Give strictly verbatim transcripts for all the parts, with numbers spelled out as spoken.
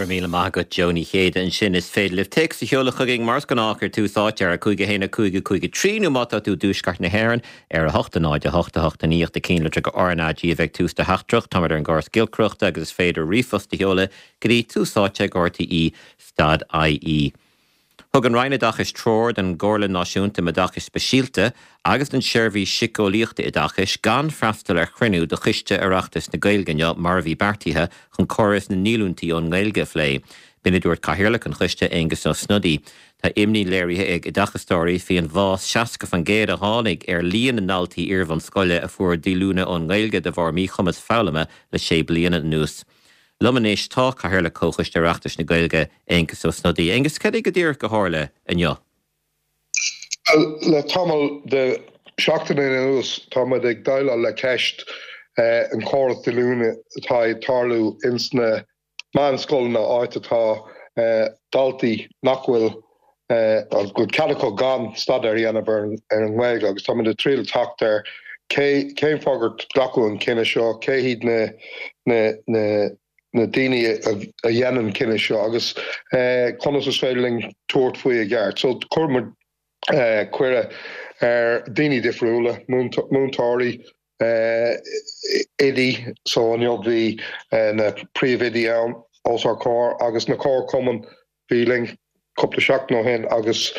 Go raibh míle maith agat Joe Ní Chéide ansin is féidir libh téacs a sheoladh chugainn mar is gnách ar Tús Áite ar a cúig a haon a cúig a cúig a trí nó má tá tú i dtuaisceart na hÉireann ar a hocht a náid a hocht a hocht a naoi ach na cinnlitreacha RnaG a bheidh tús do theachtaireacht táimid ar an gcóras giolcaireachta agus is féidir ríomhphost a sheoladh go dtí tús áite ag RTÉ dot IE. Thug an Roinn Oideachais treoir don gComhairle Náisiúnta um Oideachas Speisialta agus don Seirbhís Síceolaíochta Oideachais gan freastal ar chruinniú de Choiste Oireachtais na Gaeilge inniu mar a bhí beartaithe chun córas na ndíolúintí ón nGaeilge a phlé. B'in a dúirt Cathaoirleach an Choiste Aengus Ó Snodaigh. Tá imní léirithe ag oideachastóirí faoin bhfás seasca faoin gcéad a tháinig ar líon na ndaltaí iarbhunscoile a fuair díolúine ón nGaeilge de bharr míchumas foghlama le sé bliana anuas. Liom anois tá Cathaoirleach Chomhchoiste Oireachtais na Gaeilge, Aengus Ó Snodaigh. Aengus, cad é go díreach a tharla inniu? Le tamall de seachtaine anuas tá muid ag déileáil le ceist an chóras díolúine atá ag tarlú ins na meánscoileanna áit atá daltaí nach bhfuil go bhfuil cead acu gan staidéar a dhéanamh ar an nGaeilge agus tá muid ag triail teacht ar cé cén fáth gur glacadh an cinneadh seo, cé hiad na na na na daoine a dhéanann an cinneadh seo agus conas is féidir linn tabhairt faoi i gceart. So chuir muid cuireadh ar daoine difriúla, múinteoirí, oidí, so inniu bhí na príomhoidí ann os ár comhair agus na comharchumainn bhí linn cúpla seachtain ó shin agus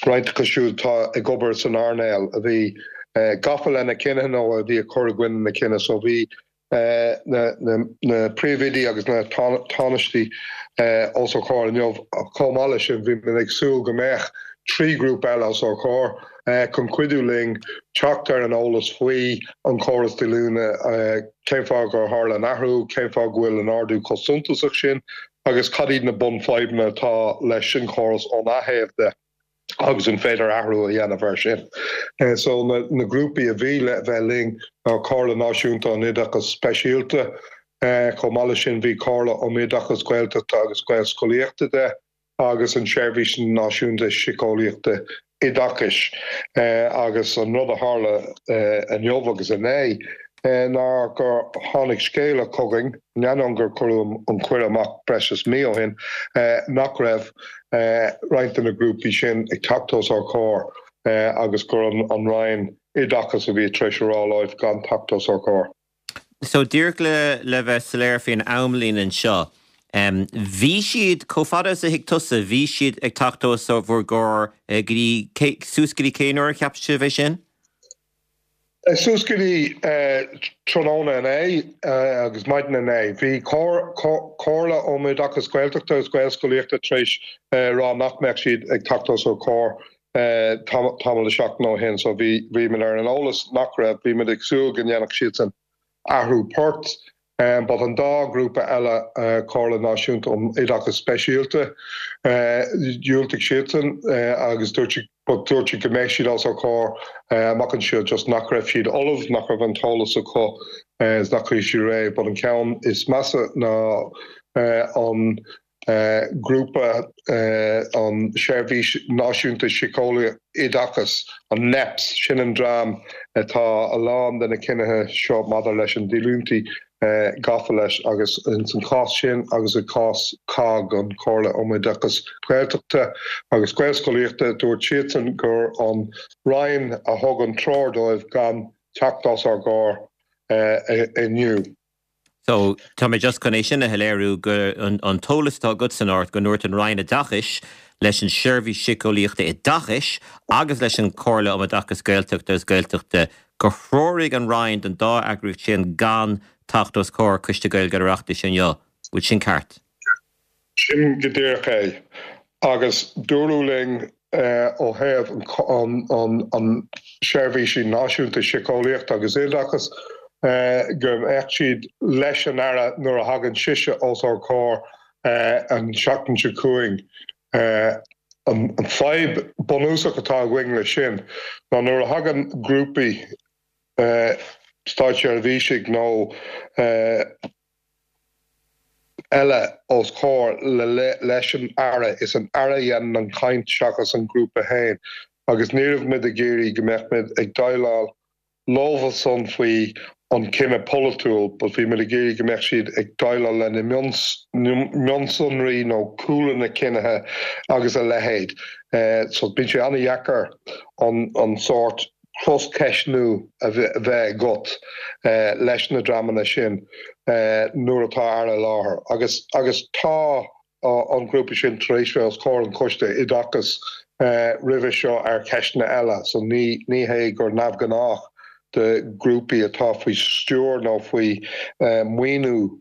roinnt acu siúd atá ag obair san earnáil a bhí gafa lena cinneadh nó a bhí ag cur i gcoinne na cinneadh. So bhí na príomhoidí agus na tánaistí os ár comhair inniu. Chomh maith leis sin, bhí muid ag súil go mbeadh trí ghrúpa eile os ár comhair chun cuidiú linn teacht ar an eolas faoi an chóras díolúine, cén fáth gur tharla an athrú, cén fáth go bhfuil an ardú chomh suntasach sin agus cad iad na bunfhadhbanna atá leis an chóras óna thaobh de. agus an féidir athrú a dhéanamh air sin. So na na grúpaí a bhí le bheith linn ná Comhairle Náisiúnta an Oideachais Speisialta, chomh maith leis sin bhí Comhairle um Oideachas Gaeltachta agus Gaelscolaíochta de agus an Seirbhís Náisiúnta Síceolaíochta Oideachais. Agus an rud a tharla inniu agus inné ná gur tháinig scéala chugainn, in ainneoin gur cuireadh an cuireadh amach breis is mí ó shin, nach raibh roinnt de na grúpaí sin ag teacht os ár gcomhair agus gur an Roinn Oideachais a bhí tar éis a rá leo gan teacht os ár gcomhair. So díreach le le bheith soiléir faoin amlíne anseo, bhí siad, chomh fada is a thuig tusa, bhí siad ag teacht os bhur gcomhair go dtí, suas go dtí cén uair a cheap sibh é sin? Suas go dtí tráthnóna inné agus maidin inné, bhí Comhairle um Oideachas Gaeltachta agus Gaelscolaíochta tar éis rá nach mbeadh siad ag teacht os ár gcomhair tamall de sheachtain ó shin so bhí bhí muid ar an eolas nach raibh, bhí muid ag súil go ndéanfadh siadsan athrú poirt. But an dá ghrúpa eile, Comhairle Náisiúnta um Oideachas Speisialta, dhiúltaigh siadsan agus dúirt siad but dúirt siad go mbeidh siad os ár gcomhair amach anseo just nach raibh siad ullamh, nach raibh an t-eolas acu is nach raibh siad réidh. But an ceann is measa ná an grúpa an Seirbhís Náisiúnta Síceolaíochta Oideachais, an NEPS, sin an dream atá a lán de na cinnithe seo maidir leis an díolúintí gafa leis agus ins an chás sin agus i gcás COGG, an Chomhairle um Oideachas Gaeltachta agus Gaelscolaíochta, dúirt siadsan gur an Roinn a thug an treoir dóibh gan teacht os ár gcomhair inniu. So, tá mé just chun é sin a shoiléiriú, go an t-eolas atá agat san ort go ndúirt an Roinn Oideachais leis an Seirbhís Síceolaíochta Oideachais agus leis an Chomhairle um Oideachas Gaeltachta agus Gaeltachta gur threoraigh an Roinn don dá eagraíocht sin gan teacht os comhair Coiste Gaeilge an Oireachtais inniu. Bhfuil sin ceart? Sin go díreach é. Agus dúradh linn ó thaobh an Seirbhísí Náisiúnta Síceolaíochta agus Oideachais go mbeadh siad leis an Aire nuair a thagann sise os ár gcomhair an tseachtain seo chugainn. An fadhb bunúsach atá againn leis sin ná nuair a thagann grúpaí státseirbhísigh nó eile os comhair leis an Aire, is an Aire a dhéanann an chaint seachas an grúpa féin agus ní raibh muid ag iarraidh go mbeadh muid ag déileáil leofa san faoi an cinneadh polaitiúil, but bhí muid ag iarraidh go mbeadh siad ag déileáil le na mionsonraí nó cúla na cinnithe agus a leithéid. So bíonn sé an-dheacair an an sórt croscheistniú a bheith agat leis na dreamanna sin nuair atá Aire i láthair. Agus agus tá an grúpa sin tar éis bheith os comhair an Choiste Oideachais roimhe seo ar cheisteanna eile, so ní ní hé gur neamhghnách do grúpaí atá faoi stiúir nó faoi maoiniú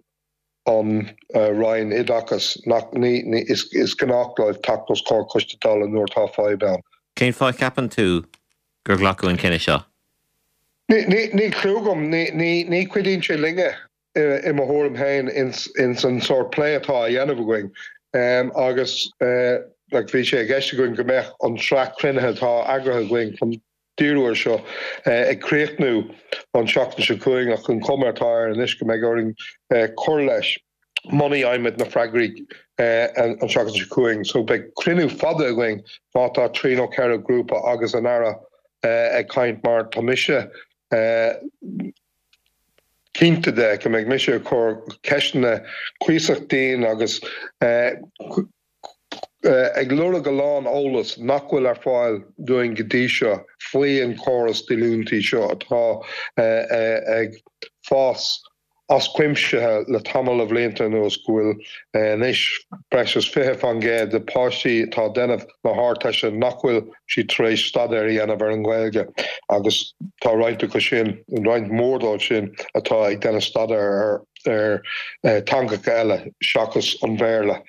an Roinn Oideachais nach ní ní is is gnách leo teacht os comhair Coiste Dála nuair atá fadhb ann. Cén fáth a cheapann tú gur glacadh an cinneadh seo? Ní ní níl clue agam, ní ní ní chuidíonn sé linne i mo thuairim féin ins ins an sórt plé atá á dhéanamh againn agus like bhí sé i gceist againn go mbeadh an tsraith cruinnithe atá eagraithe againn chun díriú air seo ag críochnú an tseachtain seo chugainn ach an chuma atá air anois go mbeidh orainn cur leis muna bhfaighimid na freagraí an tseachtain seo chugainn. So beidh cruinniú fada againn má tá trí nó ceithre grúpa agus an Aire ag caint mar tá mise cinnte de go mbeidh mise ag cur ceisteanna cuíosach dian agus ag lorg a lán eolas nach bhfuil ar fáil dúinn go dtí seo faoi an córas díolúintí seo atá ag fás as cuimse le tamall de bhlianta anuas go bhfuil anois breis is fiche faoin gcéad de páistí atá ag déanamh na hArdteiste nach bhfuil siad tar éis staidéar a dhéanamh ar an nGaeilge agus tá roinnt acu sin, roinnt mhór dóibh sin atá ag déanamh staidéar ar ar teangacha eile seachas an Bhéarla.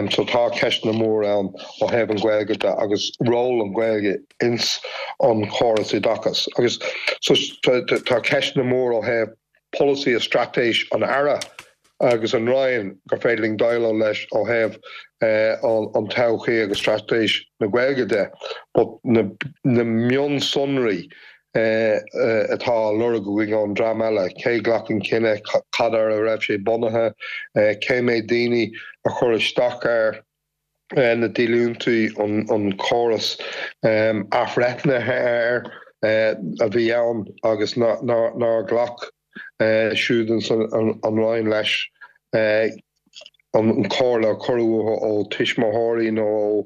So tá ceisteanna mór ann ó thaobh an Ghaeilge de agus ról an Ghaeilge ins an chóras oideachais agus so tá ceisteanna mór ó thaobh polasaí is straitéis an Aire agus an Roinn gur féidir linn déileáil leis ó thaobh an todhchaí agus straitéis na Gaeilge de but na na mionsonraí atá á lorg againn ón dream eile, cé ghlac an cinneadh, cad ar a raibh sé bunaithe, cé mhéad daoine a chuir isteach air. na díolúintí, an córas athbhreithnithe air a bhí ann agus nár ghlac siúd ins an Roinn leis, an chomhairle a cuireadh uathu ó tuismitheoirí nó ó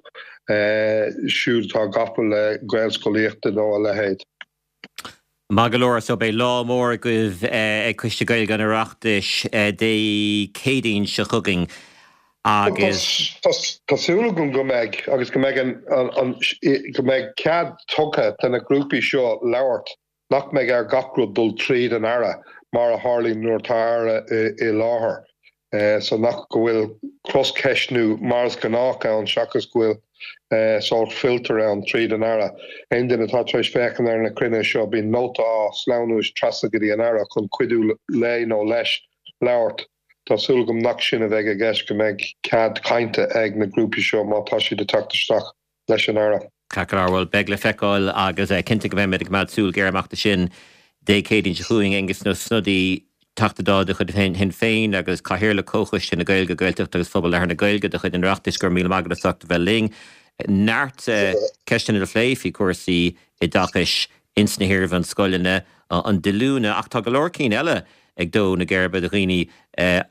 siúd atá gafa le Gaelscolaíochta nó a leithéid. Maith go leor, so beidh lá mór agaibh ag Coiste Gaeilge an Oireachtais Dé Céadaoin seo chugainn agus. Tá súil agam go mbeidh agus go mbeidh an go mbeidh cead tugtha do na grúpaí seo labhairt, nach mbeidh ar gach rud dul tríd an Aire mar a tharlaíonn nuair atá Aire i láthair. So nach go bhfuil croscheistniú mar is gnách ann seachas go bhfuil sórt filter ann tríd an Aire. Aon duine atá tar éis féachaint ar na cruinnithe seo bíonn nóta á sleamhnú trasna go dtí an Aire chun cuidiú léi nó leis labhairt. Tá súil agam nach sin a bheidh i gceist, go mbeidh cead cainte ag na grúpaí seo má tá siad ag teacht isteach leis an Aire. Ceart go leor, bhuel, beidh le feiceáil agus cinnte go mbeimid ag coimeád súil ghéar amach do sin Dé Céadaoin seo chugainn, Aengus Ó Snodaigh, Teachta Dála de chuid Shinn Féin agus Cathaoirleach Comhchoiste na Gaeilge, Gaeltachta agus Phobal Leathan na Gaeilge de chuid an Oireachtais, go raibh míle maith agat as ucht a bheith linn. Neart ceisteanna le plé faoi chúrsaí oideachais ins na hiarbhunscoileanna, an díolúine, ach tá go leor cinn eile ag dó na geirbe do dhaoine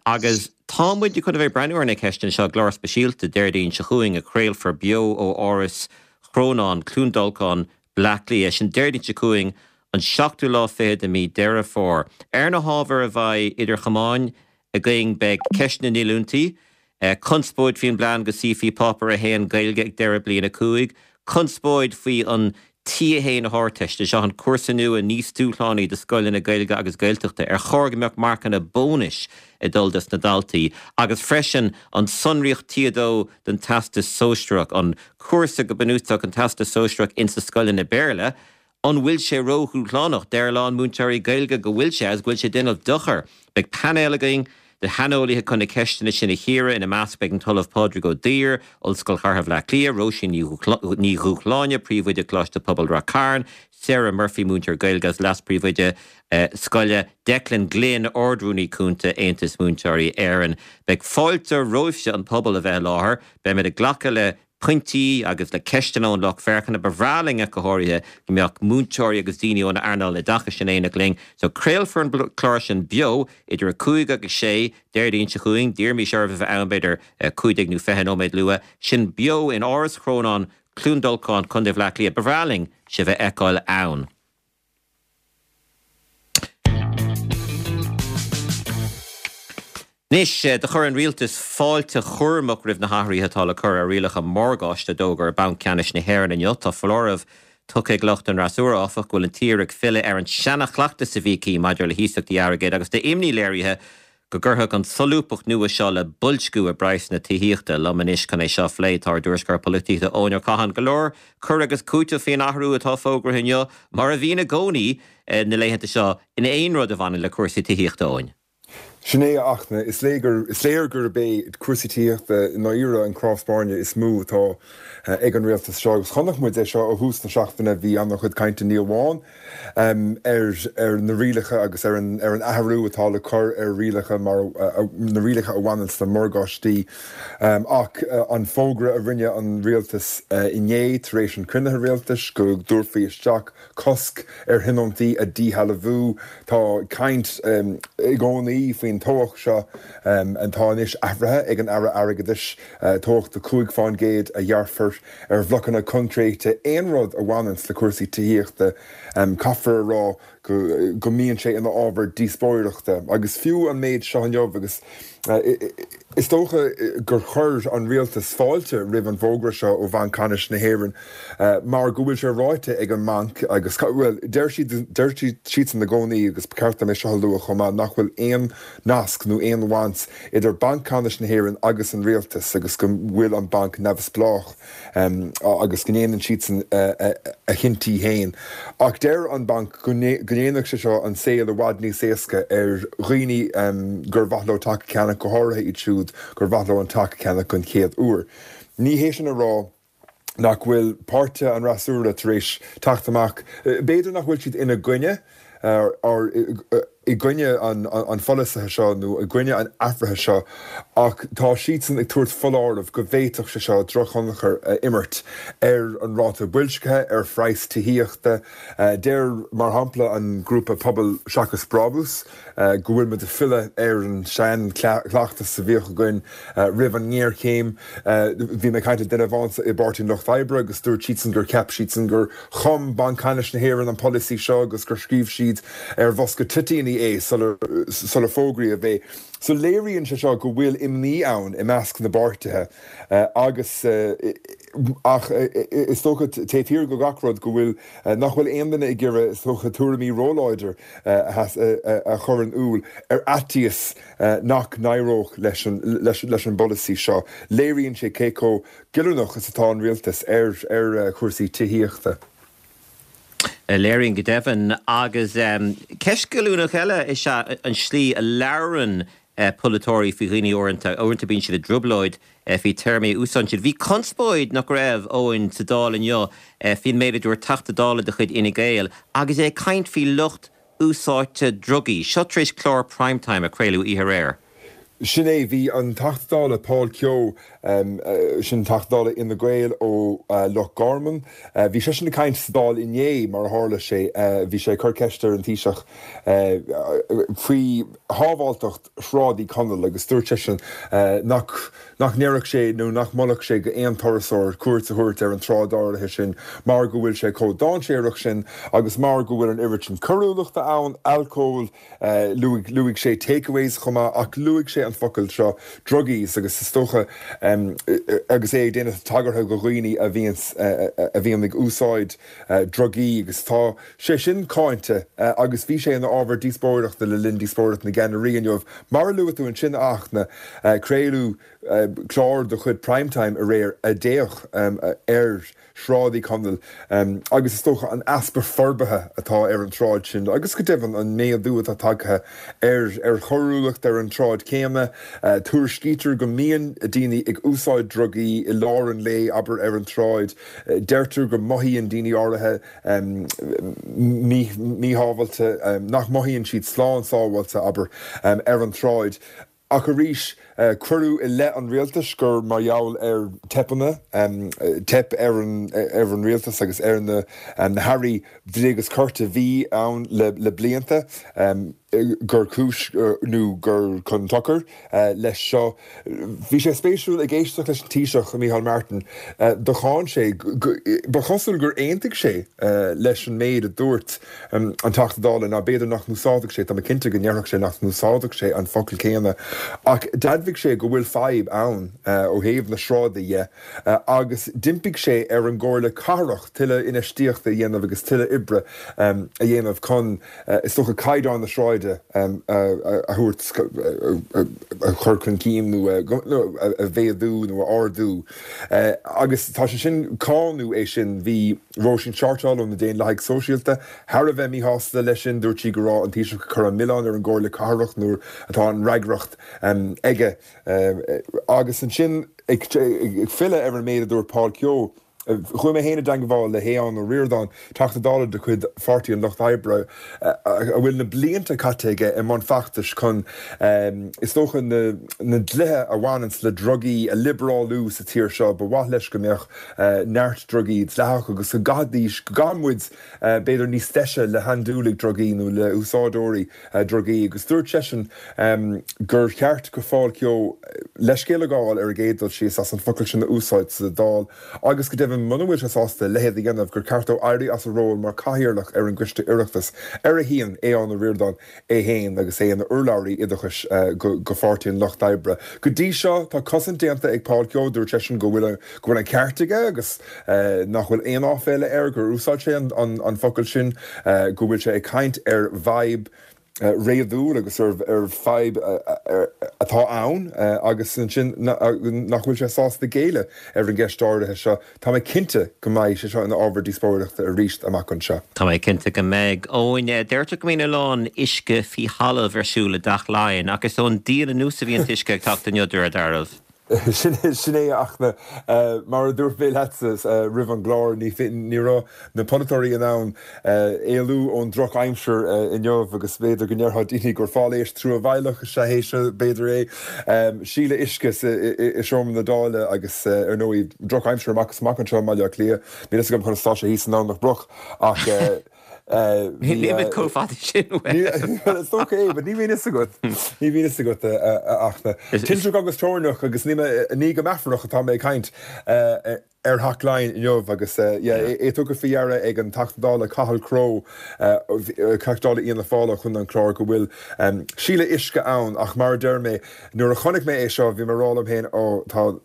agus tá muid chun a bheith ag breathnú ar na ceisteanna seo i gclár speisialta Déardaoin seo chugainn a chraolfar beo ó Áras Chrónáin, Cluain Dolcáin, Bleá Cliath. Sin Déardaoin seo chugainn, an seachtú lá fichead de mí Deireadh Fómhair. Ar na hábhair a bheidh idir chamáin againn beidh ceist na ndíolúintí, conspóid faoin bplean go suífí Páipéar a haon Gaeilge ag deireadh Bliain a cúig, conspóid faoi an T a haon na hArdteiste, seo an cúrsa nua níos dúshlánaí do scoileanna Gaeilge agus Gaeltachta, ar chóir go mbeadh marcanna bónais ag dul dos na daltaí, agus freisin an tsonraíocht T a dó don Teastas Sóisearach, an cúrsa go bunúsach an Teastas Sóisearach ins na scoileanna Béarla, An bhfuil sé ródhúshlánach? Deir a lán múinteoirí Gaeilge go bhfuil sé agus go bhfuil sé ag déanamh dochair. Beidh painéal againn de shaineolaithe chun na ceisteanna sin a chíoradh. Ina measc beidh an tOllamh Pádraig Ó Duibhir, Ollscoil Chathartha Bhaile Átha Cliath, Róisín Ní Dhúshláine, Príomhoide Choláiste Pobail Ráth Cairn, Sarah Murphy, múinteoir Gaeilge agus Leas-Phríomhoide Scoile, Declan Glynn, Ard-Rúnaí Cúnta Aontas Múinteoirí Éireann. Beidh fáilte romhaibhse an pobal a bheith i láthair. Beimid ag glacadh le pointí agus le ceisteanna ón lucht féachana. Ba bhreá linn ach go háirithe go mbeadh múinteoirí agus daoine ón earnáil oideachais in éineacht linn. So craolfar an clár sin beo idir a cúig agus sé Déardaoin seo chugainn, d'iarrfaimis oraibh a bheith ann b'fhéidir cúig déag nó fiche nóiméad luath. Sin beo in Áras Chrónáin, Cluain Dolcáin, Contae Bhaile Átha Cliath. Ba bhreá linn sibh a fheiceáil ann. Anois, do chuir an Rialtas fáilte chúramach roimh na hathruithe atá le cur ar rialacha morgáiste a d'fhógair Banc Ceannais na hÉireann inniu. Tá foláireamh tugtha ag lucht an fhreasúra, áfach, go bhfuil an tír ag filleadh ar an seana-chleachtas a bhí aici maidir le hiasachtaí airgid agus tá imní léirithe go gcuirfeadh an tsolúbthacht nua seo le boilsciú i bpraghsanna tithíochta. Liom anois chun é seo a phlé tá ár dtuairisceoir polaitíochta Eoin Ó Catháin. Go leor cur agus cúiteamh faoin athrú atá fógraithe inniu, mar a bhíonn i gcónaí na laethanta seo in aon rud a bhaineann le cúrsaí tithíochta, Eoin. Sin é, a Fhachtna. Is léir gurb é cúrsaí tithíochta i ndáiríre an cnámh spairne is mó atá ag an rialtas seo agus chonaic muid é seo ó thús na seachtaine. Bhí an-chuid cainte ní amháin ar na rialacha agus ar an athrú atá le cur ar rialacha mar na rialacha a bhaineann le morgáistí ach an fógra a rinne an rialtas inné tar éis an chruinnithe rialtais go dtabharfaí isteach cosc ar thionóntaí a dhíshealbhú. Tá caint i gcónaí faoin tobhach seo atá anois athraithe ag an Aire Airgeadais, tobhach de cúig fán gcéad a ghearrfar ar bhlocanna coincréite. Aon rud a bhaineanns le cúrsaí tithíochta, caithfear a rá go mbíonn sé ina ábhar díospóireachta. Agus fiú an méid seo inniu agus is dócha gur chuir an rialtas fáilte roimh an bhfógra seo ó Bhanc Ceannais na hÉireann mar go bhfuil sé ráite ag an mbanc agus, bhuel, deir siad, deir siadsan i gcónaí agus ba cheart dom é seo a lua chomh maith, nach bhfuil aon nasc nó aon bhaint idir Banc Ceannais na hÉireann agus an rialtas agus go bhfuil an banc neamhspleách agus go ndéanann siadsan a chinntí féin. Ach deir an banc go ndéanfadh sé seo an saol i bhfad níos éasca ar dhaoine gur mhaith leo teach a cheannach, go háirithe iad siúd gur mhaith leo an teach a cheannach den chéad uair. Ní hé sin a rá nach bhfuil páirtithe an fhreasúra tar éis teacht amach, b'fhéidir nach bhfuil siad ina gcoinne, i gcoinne an pholasaithe seo nó i gcoinne an athraithe seo ach tá siadsan ag tabhairt foláireamh go bhféadfadh sé seo drochthionchar a imirt ar an ráta boilscithe, ar phraghas tithíochta. Deir, mar shampla, an grúpa Pobal Seachas Brabús go bhfuil muid ag filleadh ar an seanchleachtas a bhíodh againn roimh an ngéarchéim. Bhí mé ag caint le duine amháin i bPáirtí an Lucht Oibre agus dúirt siadsan gur cheap siadsan gur chum Banc Ceannais na hÉireann an polasaí seo agus gur scríobh siad ar bhosca toitíní é sular fógraíodh é. So léiríonn sé seo go bhfuil imní ann i measc na bpáirtithe agus ach is dócha taobh thiar de gach rud go bhfuil nach bhfuil aon duine ag iarraidh is dócha tuairimí róláidir a chur in iúl ar fhaitíos nach n-éireodh leis an bpolasaí seo. Léiríonn sé cé chomh goilliúnach is atá an rialtas ar chúrsaí tithíochta. Léiríonn go deimhin. Agus ceist ghilliúnach eile is ea an tslí a labhrann polaiteoirí faoi dhaoine uaireanta. Uaireanta bíonn siad i dtrioblóid faoi téarmaí a úsáideann siad. Bhí conspóid, nach raibh, Eoin, sa Dáil inniu faoin méid a dúirt Teachta Dála de chuid Fhine Gael agus é ag caint faoi lucht úsáidte drugaí. Seo tar éis clár Prime Time a craoladh oíche aréir. Sin é, bhí an Teachta Dála Paul Kehoe, sin Teachta Dála Fhine Gael ó Loch Garman, bhí seisean ag caint sa Dáil inné, mar a tharla sé, bhí sé ag cur ceist ar an Taoiseach faoi shábháilteacht Shráid Uí Chonaill agus dúirt seisean nach nach ndéarfadh sé nó nach molfadh sé go aon turasóir cuairt a thabhairt ar an tsráid áirithe sin mar go bhfuil sé chomh dainséarach sin agus mar go bhfuil an oiread sin coiriúlachta ann, alcól, Luaigh luaigh sé takeaways chomh maith ach luaigh sé an focal seo druggies agus is dócha agus é ag déanamh tagartha go dhaoine a bhíonns a bhíonn ag úsáid drugaí agus tá sé sin cáinte agus bhí sé ina ábhar díospóireachta le linn díospóireacht na gceannairí inniu. Mar a luaigh tú ansin a Fhachtna, craoladh clár de chuid Prime Time aréir a d'fhéach ar Shráid Uí Chonaill agus is dócha an easpa forbartha atá ar an tsráid sin agus go deimhin an méadú atá tagtha ar ar choiriúlacht ar an tsráid chéanna. Tuairiscítear go mbíonn daoine ag úsáid drugaí i lár an lae, abair, ar an tsráid. Deirtear go mothaíonn daoine áirithe míshábháilte, nach mothaíonn siad slán sábháilte, abair, ar an tsráid. Ach arís, cuireadh i leith an rialtais gur mar gheall ar teipeanna, teip ar an ar an rialtas agus ar na na hairí dlí agus cirt a bhí ann le le blianta, gur cúis nó gur chun dochair leis seo. Bhí sé spéisiúil ag éisteacht leis an Taoiseach, Micheál Martin, do cháin sé, ba chosúil gur aontaigh sé leis an méid a dúirt an Teachta Dála, ná b'fhéidir nach n-úsáidfeadh sé, tá mé cinnte go ndéarfadh sé nach n-úsáidfeadh sé an focal céanna, ach d'admhaigh sé go bhfuil fadhb ann ó thaobh na sráide dhe agus d'impigh sé ar an gComhairle Cathrach tuilleadh infheistíochta a dhéanamh agus tuilleadh oibre a dhéanamh chun, is dócha, caighdeán na sráide a thabhairt, a chur chun cinn nó a mhéadú nó a ardú. Agus tá sé sin, cáineadh é sin, bhí Róisín Shortall ó na Daonlathaigh Sóisialta thar a bheith míshásta leis sin, dúirt sí go raibh an Taoiseach ag cur an milleán ar an gComhairle Cathrach nuair atá an fhreagracht aige. Agus ansin ag filleadh ar an méid a dúirt Paul Kehoe, chuaigh mé féin i dteangmháil le hAodhán Ó Ríordáin, Teachta Dála de chuid Pháirtí an Lucht Oibre, a bhfuil na blianta caite aige i mbun feachtais chun, is dócha, na dlíthe a bhaineanns le drugaí a liobrálú sa tír seo. Ba mhaith leis go mbeadh neart drugaí dleathach agus go gcaithfidís, go gcaithfeadh muid, b'fhéidir, níos deise le handúiligh drugaí nó le húsáideoirí drugaí. Agus dúirt seisean gur cheart do Phaul Kehoe leithscéal a ghabháil ar an gcéad dul síos as an focal sin a úsáid sa Dáil agus go deimhin muna bhfuil sé sásta a leithéid a dhéanamh gur ceart dó éirí as a ról mar chathaoirleach ar an gcoiste Oireachtais ar a shuíonn Aodhán Ó Ríordáin é féin agus é ina urlabhraí oideachais go Pháirtí an Lucht Oibre. Go dtí seo tá cosaint déanta ag Paul Kehoe, dúirt seisean go bhfuil go bhfuil an ceart aige agus nach bhfuil aon áiféala air gur úsáid sé an focal sin, go bhfuil sé ag caint ar bhfadhb réadúil agus ar fadhb atá ann agus ansin nach bhfuil sé sásta géilleadh ar an gceist áirithe seo. Tá mé cinnte go mbeidh sé seo ina ábhar díospóireachta arís amach anseo. Tá mé cinnte go mbeidh. Eoin, deirtear go mbíonn a lán uisce faoi thalamh ar siúl i dTeach Laighean ach is ón díon anuas a bhí an t-uisce ag teacht inniu, de réir dealraimh. Sin é a Fhachtna. Mar a dúirt mé leatsa roimh an gclár, ní raibh na polaiteoirí in ann éalú ón drochaimsir inniu agus b'fhéidir go ndéarfadh daoine gur failléis truamhéalach is ea é seo, b'fhéidir é. Sileadh uisce i seomra na Dála agus ar ndóigh drochaimsir amach is amach anseo i mBaile Átha Cliath. Níl fhios agam conas atá sé thíos i nDomhnach Broc ach Nílimid chomh fada sin uaidh. Is dócha é, but ní bhíonn fhios agat. Ní bhíonn fhios agat, a Fhachtna. Tintreach agus toirneach agus ní go meafarach atá mé ag caint ar Theach Laighean inniu agus yeah, é tugtha faoi deara ag an Teachta Dála Cathal Crowe, Teachta Dála Fhianna Fáil ó Chontae an Chláir go bhfuil sileadh uisce ann ach mar a deir mé, nuair a chonaic mé é seo bhí mé ag rá liom féin, ó tá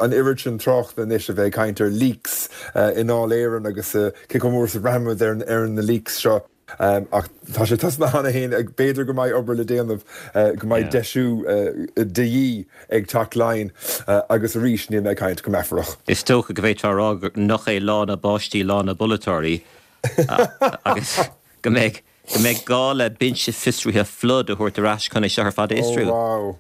an oiread sin tráchta anois a bheith ag caint ar leaks i nDáil Éireann agus Cé chomh mór is a bhraithimid ar na leaks seo? Ach tá sé tosnaithe cheana féin, b'fhéidir go mbeidh obair le déanamh, go mbeidh deisiú de dhíth ag Teach Laighean agus arís níl mé ag caint go meafarach. Is dócha go bhféadfá a rá nach é lá na báistí lá na bpolaiteoirí agus go mbeidh Go mbeidh gá le binse fiosraithe Flood a thabhairt ar ais chun é seo ar fad a fhiosrú. Oh wow.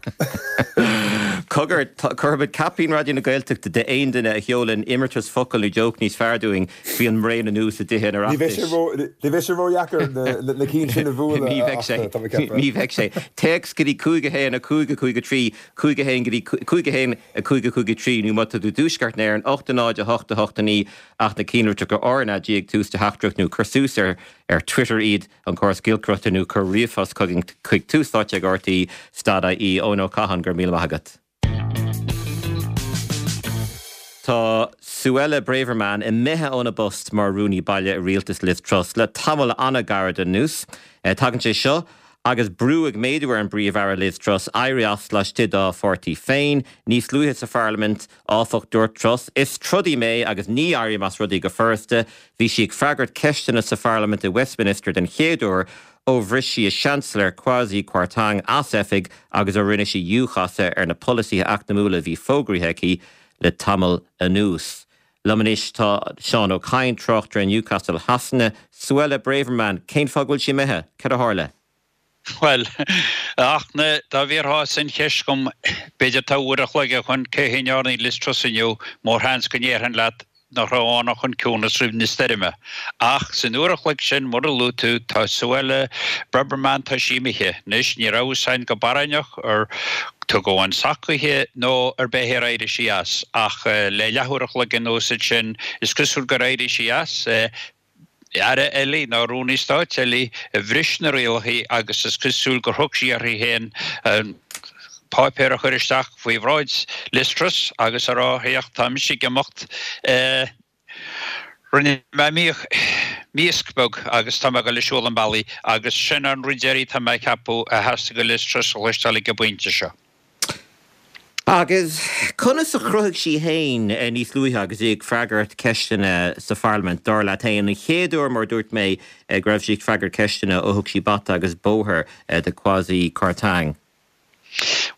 Cogar, cuirfimid caipín Raidió na Gaeltachta d'aon duine a sheolann imeartas focal nó joke níos fearr dúinn faoi an mbraon anuas i dTithe an Ní bheidh Oireachtais. sé ró, ní bheidh sé ródheacair na, na cinn sin a bhualadh, Ní a bheidh sé. Fhachtna, tá mé ag ceapadh. Ní bheidh sé. Téacs go dtí cúig a haon a cúig a cúig a trí, cúig a haon go dtí cúig a haon a cúig a cúig a trí nó má tá tú i dTuaisceart na hÉireann, ocht a náid a hocht a hocht a naoi ach na cinnlitreacha R N A G ag tús do theachtaireacht nó cuir suas ar ar Twitter iad, an córas giolcaireachta nó cuir ríomhphost chugainn chuig Tús Áite ag RTÉ stad IE. Eoin Ó Catháin, go raibh míle maith agat. Tá Suella Braverman imithe óna post mar Rúnaí Baile i rialtas Liz Truss le tamall an-ghairid anuas. Tagann sé seo agus brú ag méadú ar an bPríomh-Aire Liz Truss éirí as laistigh dá pháirtí féin. Níos luaithe sa pharlaimint, áfach, dúirt Truss, Is trodaí mé agus ní éirím as rudaí go furasta. Bhí sí ag freagairt ceisteanna sa pharlaimint i Westminster den chéad uair ó bhris sí a Seansailéir Kwasi Kwarteng as oifig agus ó rinne sí iúchasadh ar na polasaithe eacnamúla a bhí fógraithe aici le tamall anuas. Liom anois tá Seán Ó Cadhain, tráchtaire i Newcastle Shasana. Suella Braverman, cén fáth go bhfuil sí imithe? Cad a tharla? Bhuel, a Fhachtna, dá bhfiafrófá an cheist dhom, b'fhéidir tá uair a chloig ó shoin, cé hé a ndearna Liz Truss inniu, mórsheans go ndéarfainn leat nach raibh ann ach an ciúnas roimh na stoirme. Ach san uair a chloig sin, mar a luaigh tú, tá Suella Braverman, tá sí imithe. Anois, ní raibh fhios againn go barainneach ar tugadh an sac chuici nó ar b'é ar éirigh sí as. Ach le leathuair a chloig anuas ansin, is cosúil gur éirigh sí as. Aire eile nó Rúnaí Stáit eile a bhris na rialacha agus is cosúil gur thug sí uirthi féin an páipéar a chur isteach faoi bhráid Liz Truss agus a rá, Féach, tá mise ag imeacht, rinne mé míosc beag agus tá mé ag dul ag siúl an bealaigh agus sin an rud deiridh tá mé ag ceapadh a theastaigh ó Liz Truss a chloisteáil ag an bpointe seo. Agus conas a chruthaigh sí féin níos luaithe agus í ag freagairt ceisteanna sa pharlaimint, dar leat féin, an chéad uair, mar a dúirt mé, go raibh sí ag freagairt ceisteanna ó thug sí bata agus bóthar do Kwasi Kwarteng?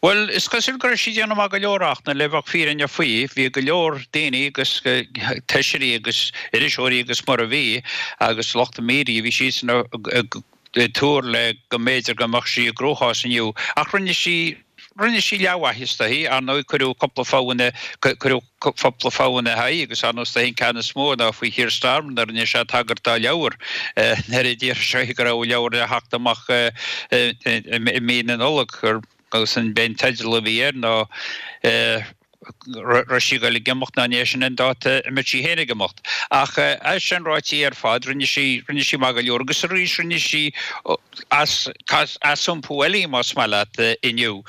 Bhuel, is cosúil go raibh sí ag déanamh maith go leor ach le bheith fírinneach faoi, bhí go leor daoine agus feisirí agus iriseoirí agus mar a bhí agus lucht media, bhí siadsan ag tuar le go mb'fhéidir go mbeadh sí i gcruachás inniu ach rinne sí Rinne sí leathmhaitheas di, ar ndóigh cuireadh cúpla fogha ina, cuireadh cúpla fogha ina haghaidh agus ar ndóigh is dóichí an ceann is mó ná faoi Keir Starmer nuair a rinne sé tagairt dá leabhar nuair a d'iarr sé go raibh a leabhar le theacht amach i mí na Nollag agus an b'é an teideal a bhí air ná raibh sí ag dul ag imeacht ná ní sin an dáta a mbeadh sí féin ag imeacht. Ach é sin ráite ar fad, rinne sí, rinne sí maith go leor agus arís rinne sí as, as-iompú eile más maith leat inniu.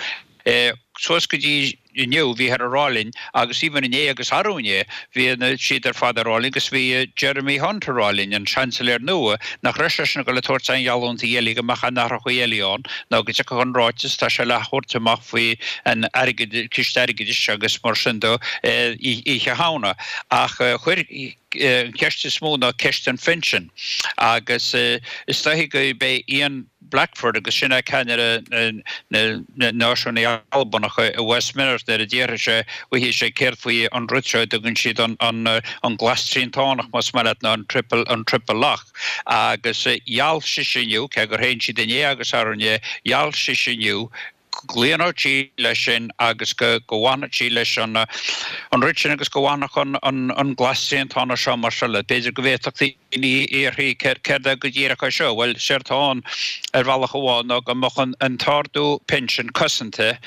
Suas go dtí inniu bhíothar ag rá linn agus even inné agus arú inné bhí siad ar fad ag rá linn agus bhí Jeremy Hunt ag rá linn, an Seansailéir nua, nach raibh seisean ag dul ag tabhairt aon gheallúintí eile go mbeadh aon athrachaí eile ann ná go dtiocfadh an ráiteas tá sé le thabhairt amach faoi an airgead, ciste airgeadais agus mar sin de Oíche Shamhna. Ach chuir an cheist is mó ná ceist an phinsin agus is dóichí gurb é Ian Blackford agus sin é ceannaire na Náisiúnaithe Albanacha i Westminster nuair a d'fhiafraigh sé uaithi sé céard faoi an rud seo a dtugann siad an glas triantánach más maith leat nó an triple an triple lock agus gheall sise inniu cé gur shéan siad inné agus arú inné gheall sise inniu go gcloífeadh sí leis sin agus go bhfanfadh sí leis an rud sin agus go bhfanfadh an glas triantánach seo mar seo le. B'fhéidir go bhféadfadh daoine iarraidh céard é go díreach é seo? Bhuel, séard atá ann ar bhealach amháin ná go mbeadh an t-ardú pinsin cosanta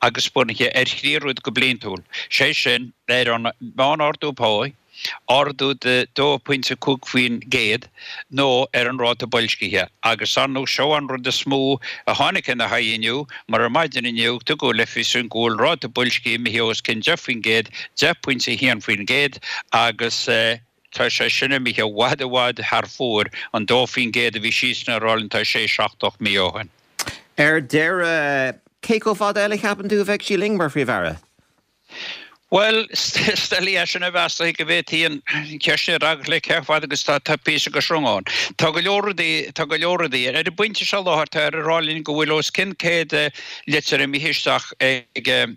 agus bunaithe ar thrí rud go bliantúil, sé sin ar an meán-ardú páí, ardú de dó pointe cúig faoin gcéad nó ar an ráta boilscithe. Agus ar ndóigh seo an rud is mó a tháinig ina haghaidh inniu, mar ar maidin inniu tugadh le fios go bhfuil ráta boilscithe imithe os cionn deich faoin gcéad, deich pointe a haon faoin gcéad, agus tá sé sin imithe i bhfad i bhfad thar fóir an dó faoin gcéad a bhí siadsan ag rá linn tá sé seacht ocht mí ó shin. Ar deireadh, cé chomh fada eile a cheapann tú a bheidh sí linn mar Phríomh-Aire? Bhuel, is doiligh é sin a mheas go bhféadfaí an cheist sin a fhreagairt le cé chomh fada agus tá píosa de shreang ann. Tá go leor rudaí, tá go leor rudaí. Ar an bpointe seo láthair táthar ag rá linn go bhfuil os cionn céad litir imithe isteach ag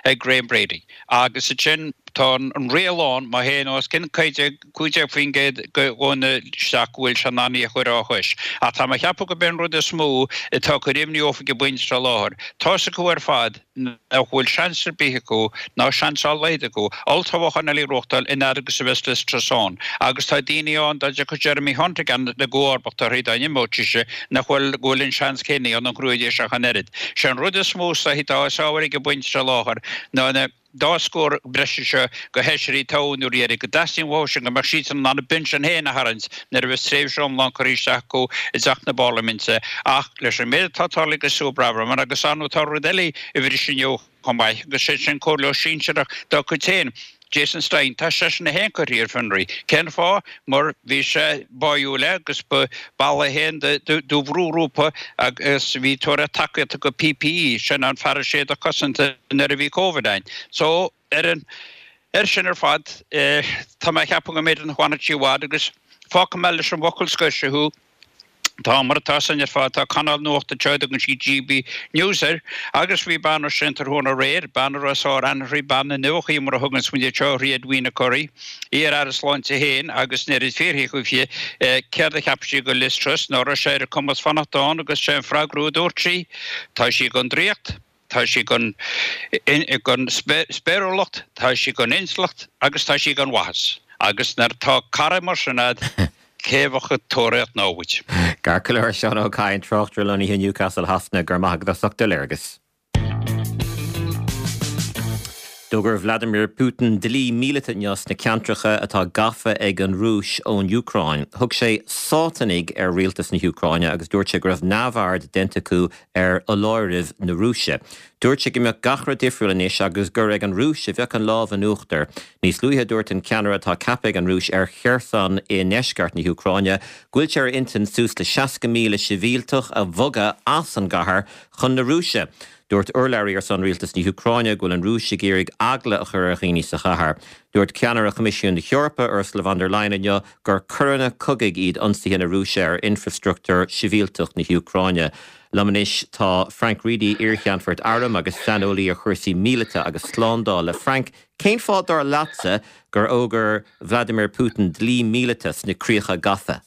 ag Graham Brady agus ansin tá an riail ann má théann os cionn cúig déag faoin gcéad de dhaoine isteach go bhfuil sé in ann í a chur á chois. Ach tá mé ag ceapadh gurb é an rud is mó atá ag cur imní orthu ag an bpointe seo láthair. Tá's acu ar fad nach bhfuil seans ar bith acu, ná seans dá laghad acu, olltoghchán eile a ghnóthachtáil an fhad agus a bheas Liz Truss ann. Agus tá daoine ann, dá dtiocfadh Jeremy Hunt i gcomharbacht uirthi, dá n-imeodh sise, nach bhfuil, go bhfuil an seans céanna ann an ghnóthóidís ach an oiread. Sé an rud is mó is dóichí atá as ábhar ag an bpointe seo láthair ná na dá scór breise seo do fheisirí tofa an uair dheiridh, go dteastaíonn uathu sin go mbeadh siadsan in ann a bpinsean féin a tharraingt nuair a bheas tréimhse iomlán curtha isteach acu i dTeach na Parlaiminte. Ach leis an méid atá tarlaithe do Sue Braverman, agus ar ndóigh tá rud eile a bhris inniu chomh maith, agus sé sin comhairleoir sinsearach dá cuid féin, Jason Stein, tá seisean é féin curtha ar fionraí. Cén fáth? Mar bhí sé báúil le agus ba ball é féin de bhrúghrúpa agus bhí ag tabhairt tacaíochta do P P E, sin an fearas éadach cosanta nuair a bhí Covid ann. So, ar an ar sin ar fad, tá mé ag ceapadh go mb'fhéidir nach bhfanfaidh sí i bhfad agus fágfaidh mé leis an bhfocal scoir seo thú. Tá, mar atá san ar fad, tá cainéal nuachta anseo a dtugann siad G B News air, agus bhí bean ansin tráthnóna aréir, bean a raibh sár-aithne uirthi, bean na ndumhachaí mar a thuganns muid anseo uirthi, Edwina Currie, iar-aire sláinte féin, agus nuair a fiafraíodh uirthi céard a cheap sí de Liz Truss, ná raibh sé ar a cumas fanacht ann agus sé an freagra a dúirt sí, tá sí gan draíocht. Tá sí gan, gan spéiriúlacht, tá sí gan intleacht agus tá sí gan mhaitheas. Agus nuair tá cara mar sin a'd, cé bheadh ag tóraíocht namhaid? Ceart go leor, Seán Ó Cadhain, tráchtaire lonnaithe i Newcastle Shasana, go raibh maith agat as ucht do léargas. D'fhógair Vladimir Putin dlí míleata inniu sna ceantracha atá gafa ag an Rúis ón Úcráin. Thug sé Sátanaigh ar rialtas na hÚcráine agus dúirt sé go raibh neamhaird déanta acu ar fholáirimh na Rúise. Dúirt sé go mbeadh gach rud difriúil anois agus gur ag an Rúis a bheadh an lámh in uachtar. Níos luaithe dúirt an ceannaire atá ceaptha ag an Rúis ar Kherson i ndeisceart na hÚcráine go bhfuil sé ar intinn suas le seasca míle sibhialtach a bhogadh as an gcathair chun na Rúise. Dúirt urlabhraí ar son rialtas na hÚcráine go bhfuil an Rúis ag iarraidh eagla a chur ar dhaoine sa chathair. Dúirt ceannaire Choimisiún na hEorpa, Ursula von der Leyen inniu gur coireanna cogaidh iad ionsaithe na Rúise ar infreastruchtúr sibhialtach na hÚcráine. Liom anois tá Frank Reidy, iarcheannfort airm agus saineolaí ar chúrsaí míleata agus slándála. Frank, cén fáth dar leatsa gur fhógair Vladimir Putin dlí míleata sna críocha gafa?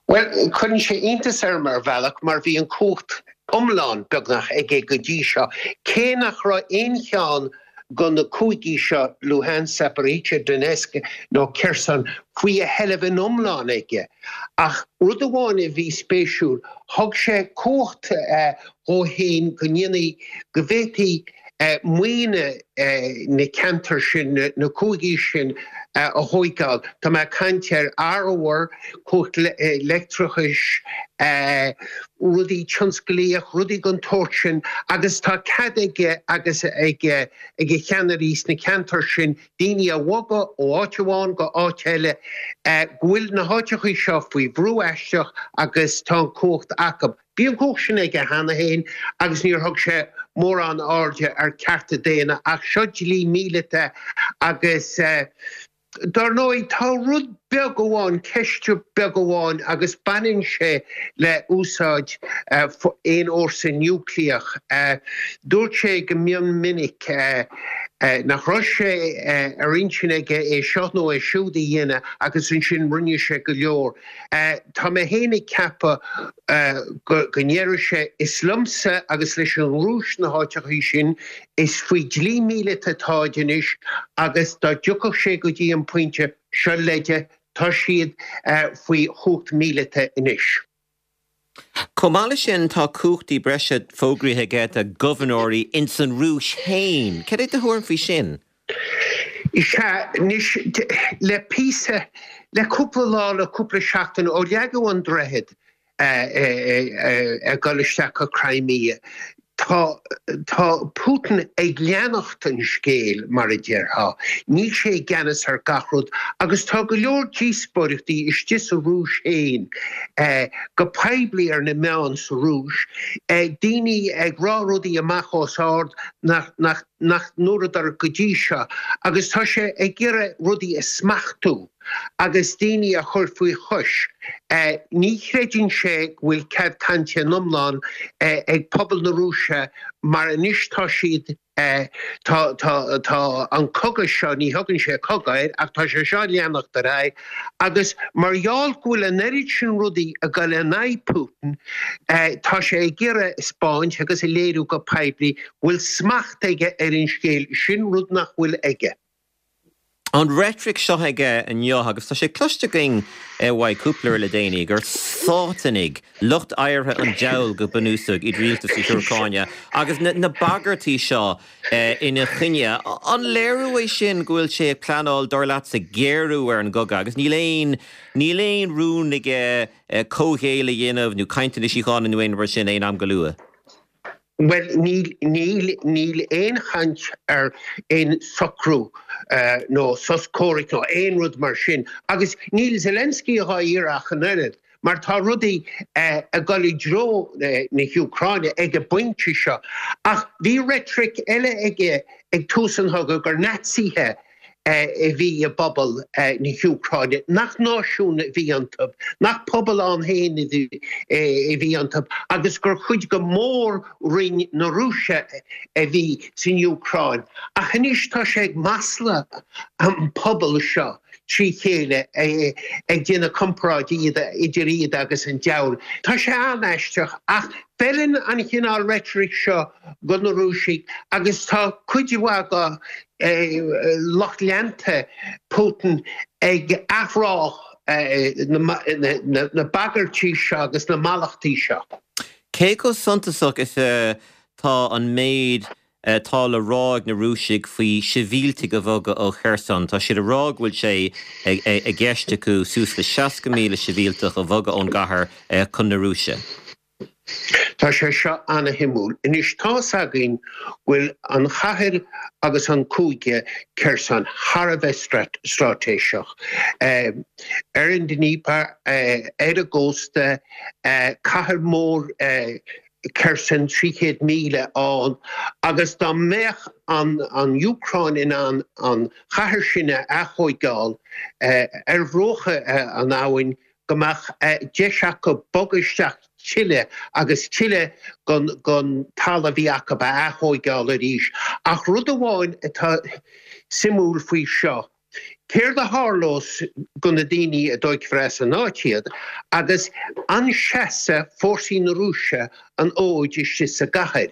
Bhuel, cuireann sé iontas orm ar bhealach mar bhí an chumhacht iomlán beagnach aige go dtí seo, cé nach raibh aon cheann de na cúigí seo, Luhansk, Zaporizhzhia, Donetsk nó Kherson, faoi a sheilbh in iomlán aige. Ach rud amháin a bhí spéisiúil, thug sé cumhacht dhó fhéin go ndéanfaí, go bhféadfaí maoine na ceantar sin, na cúigí sin a thóigeáil. Tá mé ag caint ar arbhar, cumhacht leictreachais, rudaí tionsclaíoch, rudaí den tsórt sin agus tá cead aige agus ag a cheannairí sna ceantair sin daoine a bhogadh ó áit amháin go áit eile, go bhfuil na háiteachaí seo faoi bhrú aisteach agus tá an chumhacht acu. Bhí an chumhacht sin aige cheana féin agus níor thug sé mórán airde ar chearta daonna ach seo dlí míleata agus dar ndóigh tá rud beag amháin, ceist beag amháin agus baineann sé le úsáid aon fhórsa núicléach. Dúirt sé go mion minic nach raibh sé ar intinn aige é seo nó é siúd a dhéanamh agus ansin rinne sé go leor. Tá mé féin ag ceapadh go ndéarfaidh sé, 'Is liomsa agus leis an Rúis na háiteachaí sin, is faoi dhlí míleata atáid anois agus dá dtiocfadh sé go dtí an pointe seo leide, tá siad faoi chumhacht míleata anois. Chomh maith leis sin, tá cumhachtaí breise fógraithe aige do ghobharnóirí ins an Rúis féin. Cad é do thuairim faoi sin? Is ea, anois, le píosa, le cúpla lá, le cúpla seachtain, ó leagadh an droichead ag dul isteach go Crimea, tá, tá Putin ag leanacht an scéil, mar a déarfá. Níl sé i gceannas ar gach rud agus tá go leor díospóireachtaí istigh sa Rúis féin, go poiblí ar na meáin sa Rúis, daoine ag rá rudaí amach os ard nach, nach, nach ndúradar go dtí seo agus tá sé ag iarraidh rudaí a smachtú agus daoine a chur faoi chois. Ní chreideann sé go bhfuil cead cainte in iomlán ag pobal na Rúise mar anois tá siad, tá, tá, tá an cogadh seo, ní thugann sé cogadh air ach tá sé seo ag leanacht ar aghaidh agus mar gheall go bhfuil an oiread sin rudaí ag dul in aghaidh Putin, tá sé ag iarraidh a 'speáint agus a léiriú go poiblí go bhfuil smacht aige ar an scéal, sin rud nach bhfuil aige. An reitric seo aige inniu, agus tá sé cloiste againn uaidh cúpla uair le déanaí, gur Sátanaigh, lucht adhartha an diabhail go bunúsach, iad rialtas na hÚcráine, agus na bagairtí seo ina choinne, an léiriú é sin go bhfuil sé ag pleanáil, dar leatsa, géarú ar an gcogadh agus níl aon, níl aon rún aige comhghéilleadh a dhéanamh nó cainteanna síochána nó aon rud mar sin aon am go luath? Bhuel, níl, níl, níl aon chaint ar aon socrú nó sos comhraic nó aon rud mar sin. Agus níl Zelensky dhá iarraidh ach an oiread, mar tá rudaí ag dul i dtreo na hÚcráine ag an bpointe seo. Ach bhí reitric eile aige ag tús an chogaidh gur Naitsithe a bhí i bpobal na hÚcráine, nach náisiún a bhí iontu, nach pobal ann féin a bhí iontu agus gur chuid de mhór-roinn na Rúise a bhí san Úcráin. Ach anois tá sé ag maslú an pobal seo. trí chéile ag déanamh comparáid idir iad agus an diabhal. Tá sé an-aisteach ach feileann an chineál reitric seo go na Rúisigh agus tá cuid mhaith de lucht leanta Putin ag athrá na bagairtí seo agus na mallachtaí seo. Cé chomh suntasach is atá an méid atá le rá ag na Rúisigh faoi shibhialtaigh a bhogadh ó Kherson? Tá siad ag rá go bhfuil sé i gceist acu suas le seasca míle sibhialtach a bhogadh ón gcathair chun na Rúise. Tá sé seo ana-shuimiúil. Anois tá's againn go bhfuil an chathair agus an cúige Kherson thar a bheith straitéiseach. Ar an Dnieper, ar an gcósta, cathair mhór Kherson trí chéad míle ann agus dá mbeadh an an Úcráin in ann an chathair sin a aththógáil ar bhruacha an abhainn go mbeadh deis acu bogadh isteach tuilleadh agus tuilleadh gon gon talamh a bhí acu a aththógáil arís. Ach rud amháin atá suimiúil faoi seo, céard a tharlós go na daoine a dtógfar as an áit iad agus an seasfaidh fórsaí na Rúise an fhóid istigh sa gcathair?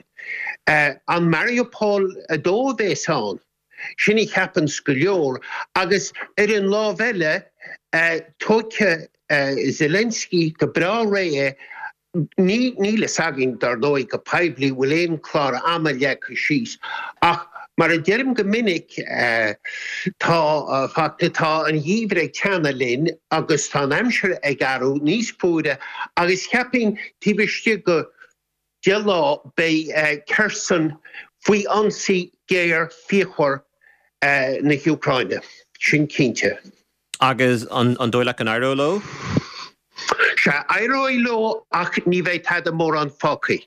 An Mariupol a dó a bheas ann? Sin a cheapanns go leor. Agus ar an lámh eile, tógfaidh Zelensky go breá réidh é, níl fhios againn, dar ndóigh, go poiblí, bhfuil aon chlár ama leagtha síos, ach mar a deirim go minic, tá, tá an geimhreadh ag teannadh linn agus tá an aimsir ag athrú níos fuaire agus cheapfainn taobh istigh go deich lá beidh Kherson faoi ionsaí géar fíochmhar na hÚcráine, sin cinnte. Agus an dóigh leat go n-éireoidh leo? Sea, éireoidh leo ach ní bheidh tada mórán fágtha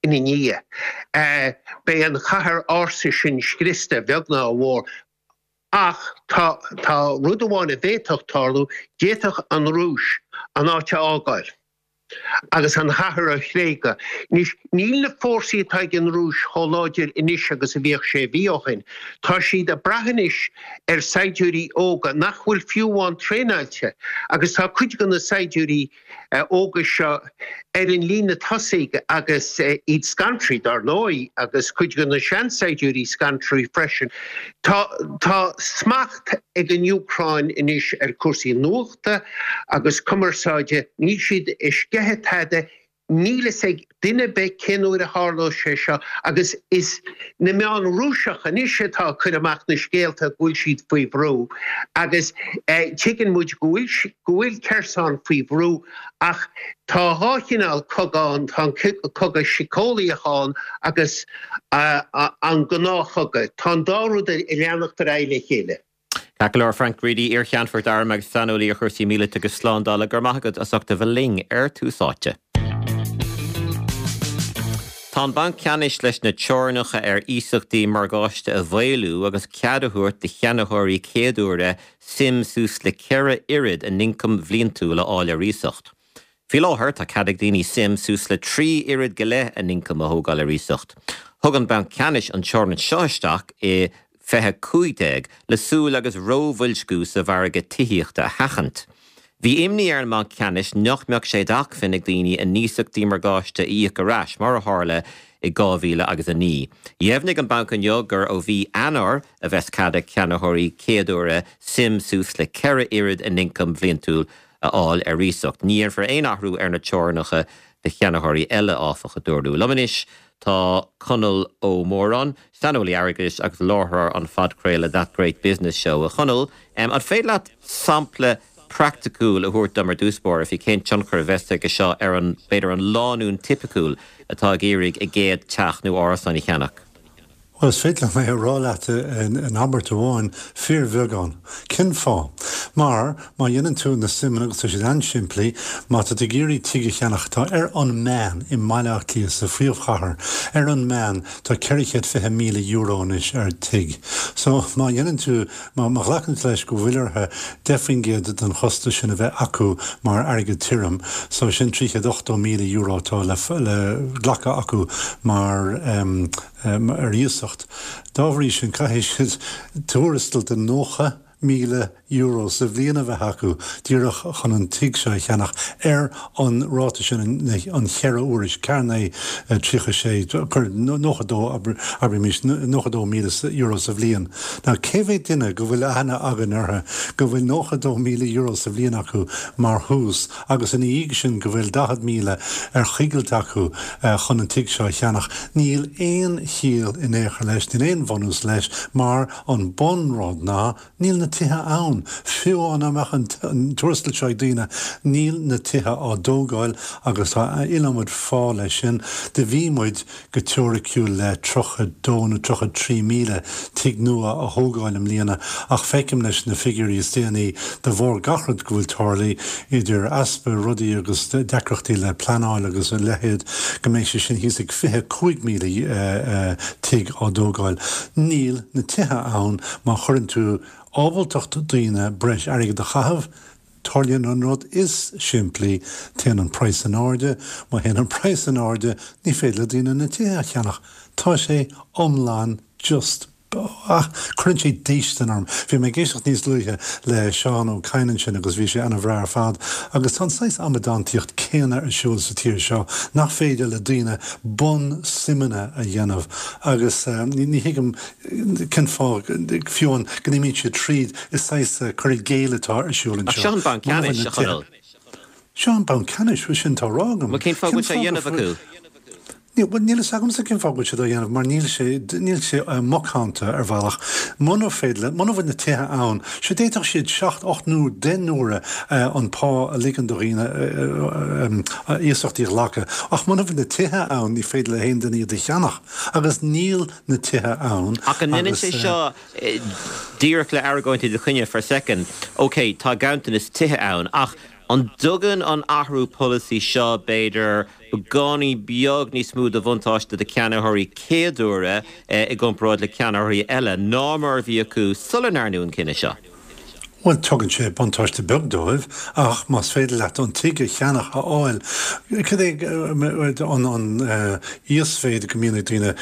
ina ndiaidh. Beidh an chathair ársa sin scriosta, a bheag ná a mhór. Ach tá tá rud amháin a bhféadfadh tarlú, d'fhéadfadh an Rúis an áit a fhágáil. agus an chathair a thréigeadh. Anois, níl na fórsaí atá ag an Rúis chomh láidir anois agus a bhíodh sé mhí ó shin. Tá siad ag brath anois ar saighdiúirí óga nach bhfuil fiú amháin traenáilte agus tá cuid de na saighdiúirí óga seo ar an líne tosaigh agus iad scanraithe, dar ndóigh, agus cuid de na seansaighdiúirí scanraithe freisin. Tá tá smacht ag an Úcráin anois ar chúrsaí nuachta agus cumarsáide, níl siad ag sceitheadh tada, níl fhios ag duine ar bith cén uair a tharlóidh sé seo agus is na meáin Rúiseach anois atá ag cur amach na scéalta go bhfuil siad faoi bhrú agus tuigeann muid go bhfuil go bhfuil Kherson faoi bhrú ach tá dhá chineál cogadh ann, tá an cogadh síceolaíoch ann agus an gnáthchogadh. Tá an dá rud ag leanacht ar aghaidh le chéile. Ceart go leor, Frank Reidy, iar-cheannfort airm agus saineolaí ar chúrsaí míleata agus slándála, go raibh maith agat as ucht a bheith linn ar Tús Áite. Tá an Banc Ceannais leis na teorainneacha ar iasachtaí morgáiste a mhaolú agus cead a thabhairt do cheannaitheoirí céaduaire suim suas le ceithre oiread a n-ioncam bhliantúil a fháil ar iasacht. Faoi láthair, tá cead ag daoine suim suas le trí oiread go leith a n-ioncam a thógáil ar iasacht. Thug an Banc Ceannais an teorainn seo isteach i fiche cúig déag le súil agus róbhoilsciú sa mhargadh tithíochta a sheachaint. Bhí imní ar an mBanc Ceannais nach mbeadh sé d'acmhainn ag daoine a n-iasachtaí morgáiste a íoc ar ais, mar a tharla i dhá mhíle agus a naoi. Dheimhnigh an banc inniu gur ó mhí Eanáir a bheas cead ag ceannaitheoirí céaduaire suim suas le ceithre oiread a n-ioncam bhliantúil a fháil ar iasacht. Ní dhéanfar aon athrú ar na teorainneacha do cheannaitheoirí eile, áfach, a dúradh. Liom anois tá Conall Ó Móráin, saineolaí airgeadais agus láithreoir an phodchraoladh That Great Business Show. A Chonaill, an féidir leat sampla praiticiúil a thabhairt dom ar dtús báire faoi cén tionchar a bheas aige seo ar an, b'fhéidir, an lánúin tipiciúil atá ag iarraidh a gcéad teach nó árasán a cheannach? Bhuel, is féidir liom é a rá leat in abairt amháin, fíorbheagán. Cén fáth? Mar, má dhéanann tú na suimeanna, agus tá siad an-simplí, má tá tú ag iarraidh tigh a cheannach atá ar an meán i mBaile Átha Cliath, sa phríomhchathair, ar an meán tá ceithre chéad fiche míle euro anois ar tigh. So, má dhéanann tú, má ghlacann tú leis go bhfuil orthu deich faoin gcéad den chostas sin a bheith acu mar airgead tirim, so sin trí chéad ochtó míle euro atá le glacadh acu mar, ar iasacht. Dá bhrí sin, caithfidh siad tuarastal de nócha míle euro sa bhliain a bheith acu díreach chun an tigh seo a cheannach ar an ráta sin an cheithre huaire, ceathair naoi tríocha sé, cuir nócha dó, abraimis nócha dó míle euro sa bhliain. Now cé mhéad duine go bhfuil aithne againn orthu go bhfuil nócha dó míle euro sa bhliain acu mar thús agus ina dhiaidh sin go bhfuil daichead míle ar choigilt acu chun an tigh seo a cheannach? Níl aon chiall in aon chor leis, níl aon bhunús leis mar an bunrud ná níl na tithe ann. Fiú dá mbeadh an tuarastal seo ag daoine, níl na tithe á dtógáil agus tá iliomad fáth leis sin. Do bhí muid go teoiriciúil le tríocha dó nó tríocha trí míle tigh nua a thógáil i mbliana ach feicim leis na figiúirí is déanaí de bharr gach rud go bhfuil tarlaithe, idir easpa rudaí agus deacrachtaí le pleanáil agus a leithéid, go mbeidh sé sin thíos ag fiche cúig míle tigh á dtógáil. Níl na tithe ann. Má chuireann tú ábaltacht daoine breis airgid a chaitheamh, tarlaíonn an rud is simplí, téann an praghas in airde. Má théann an praghas in airde, ní féidir le daoine na tithe a cheannach. Tá sé iomlán just ach cuireann sé déistin orm. Bhí mé ag éisteacht níos luaithe le Seán Ó Cadhain ansin agus bhí sé ana-bhreá ar fad. Agus tá an saghas amadántaíocht céanna ar siúl sa tír seo, nach féidir le daoine bunsuimeanna a dhéanamh agus ní thuigim cén fáth, fiú amháin, go n-imíonn siad tríd. Is saghas cur i gcéill atá ar siúl Ach anseo. seo an Banc Muna bhfuil Ceannais, na a tithe. Chonaill. Seo an Banc Ceannais, bhuel sin atá á rá agam. Bhuel cén fáth go Cén bhfuil sé á fáth go dhéanamh bhfuil. acu? Níl, bhuel, níl a fhios agamsa cén fáth go bhfuil siad á dhéanamh, mar níl sé, níl sé macánta ar bhealach. Muna féidir le, muna bhfuil na tithe ann, sea, d'fhéadfadh siad seacht, ocht nó deich n-uaire an pá a ligean do dhaoine iasachtaí a ghlacadh. Ach muna bhfuil na tithe ann, ní féidir le haon duine iad a cheannach. Agus níl na tithe ann Ach an ndéanann agus. sé seo díreach le argóint i do choinne for a second, ok, tá ganntanas tithe ann, ach An dtugann an athrú polasaí seo, b'fhéidir, beagáinín beag níos mó de bhuntáiste do cheannaitheoirí céaduaire i gcomparáid le ceannaitheoirí eile ná mar a bhí acu sula ndearnadh an cinneadh seo? Bhuel, tugann sé buntáiste beag dóibh, ach más féidir leat an tigh a cheannach, a fháil, cad é an an íosmhéid go mbíonn ag daoine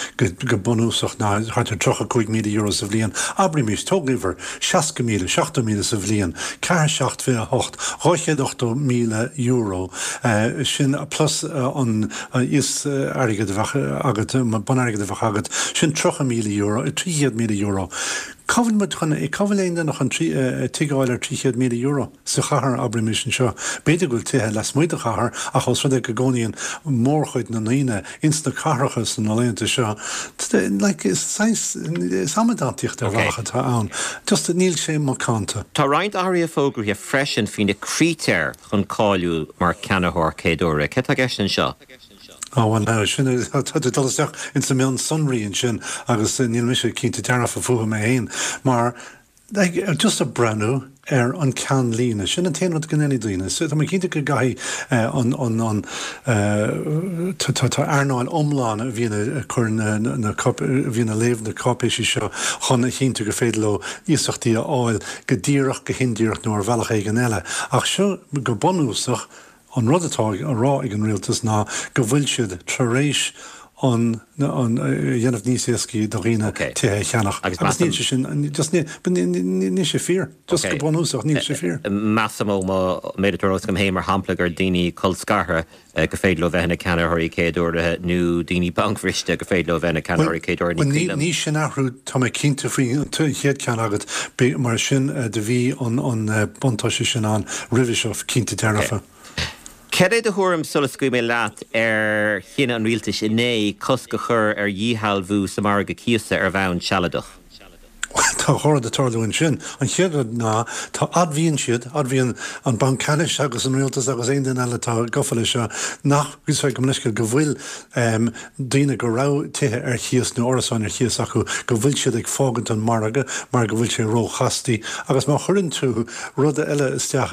go bunúsach ná thart ar tríocha cúig míle euro sa bhliain, abraimis, tóg uimhir, seasca míle, seachtó míle sa bhliain, ceathair seacht fiche a hocht, dhá chéad ochtó míle euro, sin plus an íos-airgead a bheadh agat, bun-airgead a bheadh agat, sin tríocha míle euro, trí chéad míle euro. Cá bhfuil muid chun, cá bhfuil aon duine chun tigh a fháil ar trí chéad míle euro sa chathair, abraimis anseo? B'fhéidir go bhfuil tithe lasmuigh de chathair ach os rud é go gcónaíonn mórchuid na ndaoine ins na cathracha sna laethanta seo, like, is saghas, is amadántaíocht ar bhealach atá ann. Just, níl sé macánta. Tá roinnt athruithe fógraithe freisin faoi na critéir chun cáiliú mar cheannaitheoir céaduaire. Céard atá i gceist anseo? Á bhuel now, sin, tá tú ag dul isteach ins na mionsonraí ansin agus níl mise cinnte dearfa fúthu mé féin mar, like, just ag breathnú ar an ceannlíne, sin an t-aon rud go ndéanfaidh daoine. So tá mé cinnte go gcaithfidh an, an, an, tá, tá, tá earnáil iomlán a bhíonn ag cur na, na, a bhíonn ag léamh na cáipéisí seo chun a chinntiú gur féidir leo iasachtaí a fháil go díreach, go hindíreach nó ar bhealach éigin eile. Ach seo go bunúsach, An rud atá á rá ag an rialtas ná go bhfuil siad tar éis an an a dhéanamh níos éascaí do dhaoine tithe a cheannach. Agus níl sé sin, just níl sé fíor. Just go bunúsach, níl sé fíor. Measaim ó mo méid atá ar eolas agam féin, mar shampla, gur daoine colscartha gur féidir leo bheith ina gceannaitheoirí céaduaire nó daoine bancbhriste gur féidir leo bheith ina gceannaitheoirí céaduaire, ní cuimhin liom. Ní sin athrú, tá mé cinnte faoi an chéad ceann agat, mar sin do bhí an buntáiste sin ann roimhe seo, cinnte dearfa. Cad é do thuairim, sula scaoilfidh mé leat, ar chinneadh an rialtais inné cosc a chur ar dhíshealbhú sa mhargadh cíosa ar bhonn sealadach? Bhuel, tá dhá rud ag tarlú ansin. An chéad rud ná, tá, admhaíonn siad, admhaíonn an Banc Ceannais agus an rialtas agus aon duine eile atá gafa leis seo, nach, sorry, gabh mo leithscéal, go bhfuil daoine go raibh tithe ar chíos nó árasáin ar chíos acu, go bhfuil siad ag fágaint an margadh mar go bhfuil sé róchastaí. Agus má chuireann tú rud eile isteach,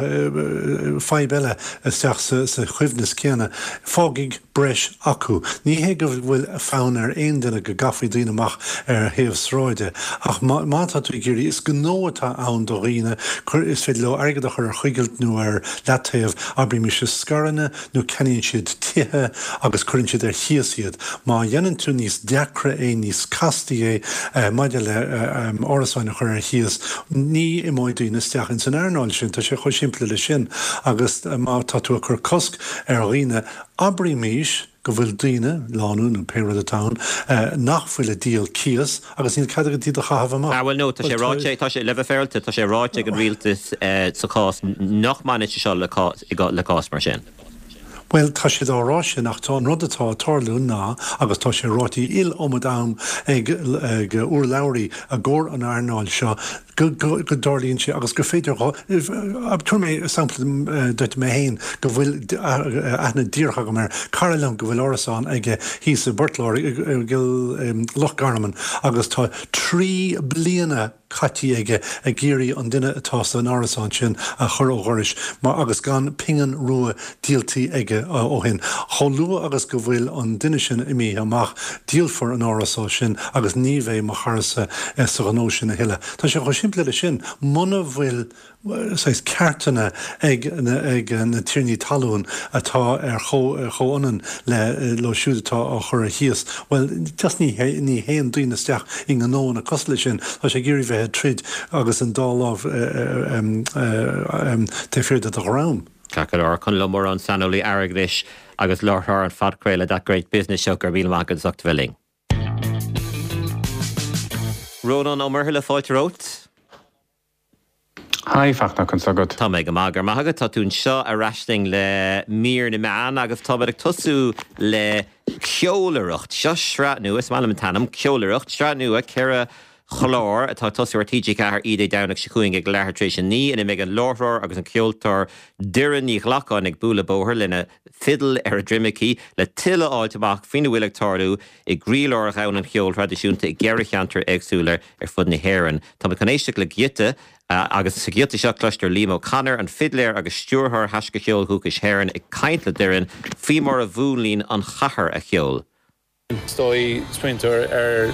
fadhb eile isteach sa choibhneas céanna, fágfaidh breis acu. Ní hé go bhfuil fonn ar aon duine go gcaithfí daoine amach ar thaobh sráide, ach má tá tú ag iarraidh, is gnó atá ann do dhaoine, cuir, is féidir leo airgead a chur ar choigilt nó ar leataobh, abraimis i scaireanna nó ceannaíonn siad tithe agus cuireann siad ar chíos iad. Má dhéanann tú níos deacra é, níos castaí é maidir le árasáin a chur ar chíos, ní imeoidh daoine isteach ins an earnáil sin. Tá sé chomh simplí leis sin. Agus má tá tú ag cur cosc ar dhaoine, abraimis go bhfuil daoine, lánúin nó pé rud atá ann, nach bhfuil ag díol cíos agus níl cead agat iad a chaitheamh amach. Ah bhuel no, tá sé ráite, tá sé, le bheith féaráilte, tá sé ráite ag an rialtas sa chás nach mbaineann sé seo le cás mar sin. Bhuel, tá siad á rá sin ach tá an rud atá ag tarlú ná, agus tá sé ráite iliomad am ag ag urlabhraí i gcomhair an earnáil seo, go go go dtarlaíonn sé agus gur féidir dhá, tabharfaidh mé sampla duit, mé féin, go bhfuil aithne díreach agam ar cara liom go bhfuil árasán aige thíos i bPort Láirge, i Loch Garman agus tá trí bliana caite aige ag iarraidh an duine atá san árasán sin a chur ó dhoras mar agus gan pingin rua díoltaí aige ó shin. Chomh luath agus go bhfuil an duine sin imithe amach, díolfar an árasán sin agus ní bheidh mo charasa sa ghnó sin a thuilleadh. Tá sé chomh simplí leis sin. Muna bhfuil saghas ceartanna ag na tiarnaí talún atá ar chomhionann le leo siúd atá á chur ar chíos, bhuel, just ní ní théann daoine isteach i ngnóanna cosúil leis sin. Tá sé ag iarraidh bheith ag troid agus an dá lámh taobh thiar de do dhroim. Ceart go leor. Conall Ó Móráin, saineolaí airgeadais agus láithreoir an phodchraoladh That Great Business Show, go raibh míle maith agat as ucht a bheith linn. Rónán Ó Muirthile, fáilte romhat. Hi, Fachtna, conas tá agat? Tá mé go maith, go raibh maith agat. Tá tú anseo ar ais linn le mír na meán agus táimid ag tosú le Ceolaireacht. Seo sraith nua, is maith liom an t-ainm, Ceolaireacht, sraith nua, ceithre chlár atá ag tosú ar T G ceathair oíche Dé Domhnaigh seo chugainn ag leathuair tar éis a naoi ina mbeidh an láithreoir agus an ceoltóir Doireann Ní Ghlacáin ag bualadh bóthair lena fidil ar a droim aici le tuilleadh a fháilt amach faoina bhfuil ag tarlú i gcroílár dhomhan an cheoil thraidisiúnta i gceithre cheantar éagsúla ar fud na hÉireann. Táimid chun éisteacht le giota agus sa ghiota seo cloistear Liam O'Connor, an fidléir agus stiúrthóir Thaisce Cheoil Dhúchais hÉireann ag caint le Doireann faoi mar a mhúnlaíonn an chathair a cheol. Is dóigh, smaointear ar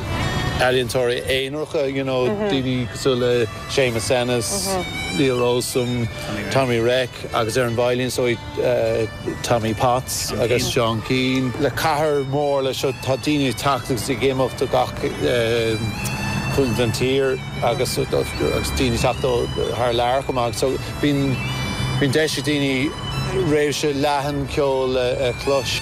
ealaíontóirí aonaracha, you know, daoine cosúil le Séamus Ennis, Leo Rowsome, Tommy Reck agus ar an veidhlín is dóigh Tommy Potts agus Seán Keane. Le cathair mór le seo tá daoine ag teacht agus ag imeacht ó gach cúinne den tír agus agus daoine ag teacht ó thar lear chomh maith. So bíonn bíonn deis ag daoine réimse leathan ceoil a chlos.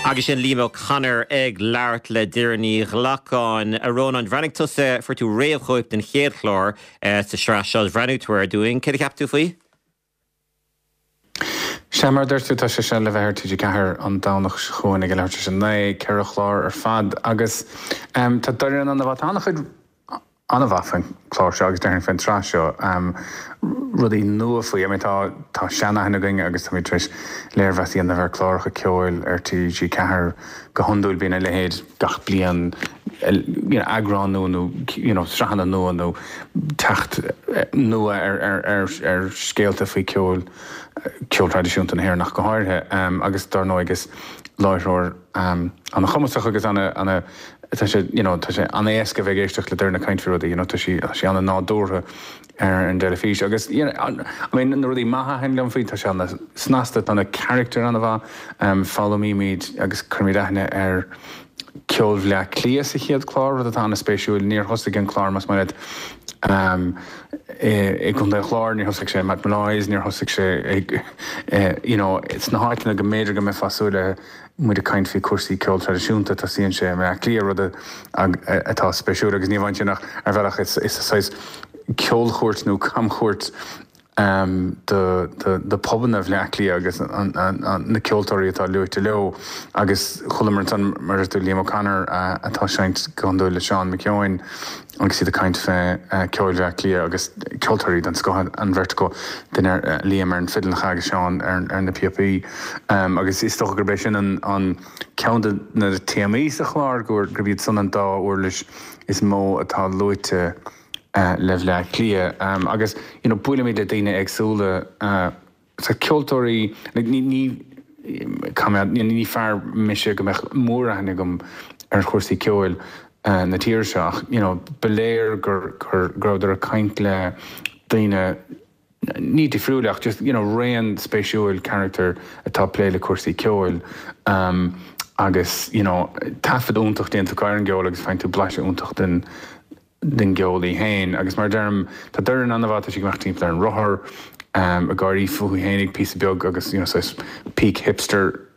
Agus sin Liam O'Connor ag labhairt le Doireann Ní Ghlacáin. A Rónáin, bhreathnaigh tusa, fuair tú réamhchóip den chéad chlár sa sraith seo, bhreathnaigh tú air dúinn. Céard a cheap tú faoi? Sea, mar a dúirt tú, tá sé seo le bheith ar T G ceathair an Domhnach seo chugainn ag a leathuair tar éis a naoi, ceithre chlár ar fad agus tá Doireann an-mhaith. Tá an-chuid an-mhaith faoin chlár seo agus déarfainn faoin tsraith seo, rudaí nua faoi. I mean tá tá seanaithne againn agus táimid tar éis léirmheas a dhéanamh ar chláracha ceoil ar T G ceathair go hiondúil bíonn a leithéid gach bliain, you know eagrán nua nó you know sraitheanna nua nó teacht nua ar ar ar ar scéalta faoi ceol ceol traidisiúnta na hÉireann ach go háirithe. Agus dar ndóigh is láithreoir an-chumasach agus ana ana tá sé you know tá sé an-éasca bheith ag éisteacht le Doireann ag caint faoi rudaí you know tá sí tá sí an-nádúrtha ar an dteilifís agus you know I mean na rudaí maithe a thaitin liom faoi tá sé an-snasta tá na carachtair an-mhaith um foghlaimímid agus cuirimid aithne ar ceol Bhleá Cliath sa chéad chlár rud atá an-spéisiúil níor thosaigh an clár más maith leat um i gContae an Chláir níor thosaigh sé i Molloy's níor thosaigh sé ag you know sna háiteanna go mb'fhéidir go mbeifeá ag súil le muid ag caint faoi chúrsaí ceoil traidisiúnta, tosaíonn sé i mBleá Cliath, rud atá spéisiúil agus ní amháin sin ach ar bhealach is saghas ceolchuairt nó camchuairt do do phubanna Bhleá Cliath agus na ceoltóirí atá luaite leo agus chualamar ansan mar a dúirt tú Liam O'Connor atá ag seinnt go hiondúil le Seán McKeown agus iad ag caint fé ceol Bhleá Cliath agus ceoltóirí den scoth an bheirt acu, duine Liam ar an fidil agus Seán ar na píopaí. Agus is dócha gurb é sin an ceann de na téamaí sa chlár, gurb iad san an dá uirlis is mó atá luaite le Bhleá Cliath. Agus you know buailimid le daoine éagsúla, so ceoltóirí, like ní, ní, ní fear mise go mbeadh móraithne agam ar chúrsaí ceoil, na tíre seo ach you know ba léir gur gur go rabhadar ag caint le daoine ní difriúil ach just you know raon spéisiúil character atá ag plé le cúrsaí ceoil um, agus you know taifead iontach déanta acu ar an gceol agus faigheann tú blaiseadh iontach den den gceol í féin agus mar deirim tá Doireann an-mhaith tá sí ag imeacht timpeall ar an rothar um, ag gáirí fúithi fhéinig píosa beag agus you know saghas peak hipster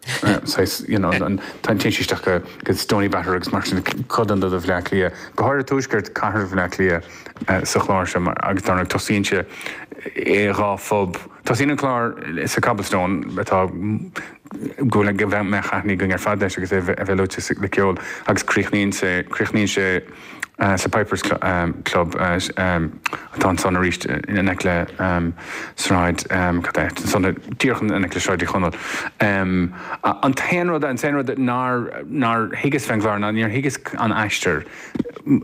saghas you know an téann sí isteach go go Stoneybatter agus mar sin codanna de Bhaile Átha Cliath go háirithe tuaisceart cathair Bhaile Átha Cliath sa chlár seo agus dar ndóigh tosaíonn sé i dhá phub. Tosaíonn an clár sa Cobblestone atá go go mbeadh aithne againn ar fad leis agus é a bheith luaite le ceol agus críochnaíonn sé críochnaíonn sé sa Pipers Club atá ansan arís in aice le Sráid cad é ansan díreach in aice le Sráid Uí Chonaill. An t-aon rud an t-aon rud nár nár thuigeas fén gclár ná níor thuigeas an aistear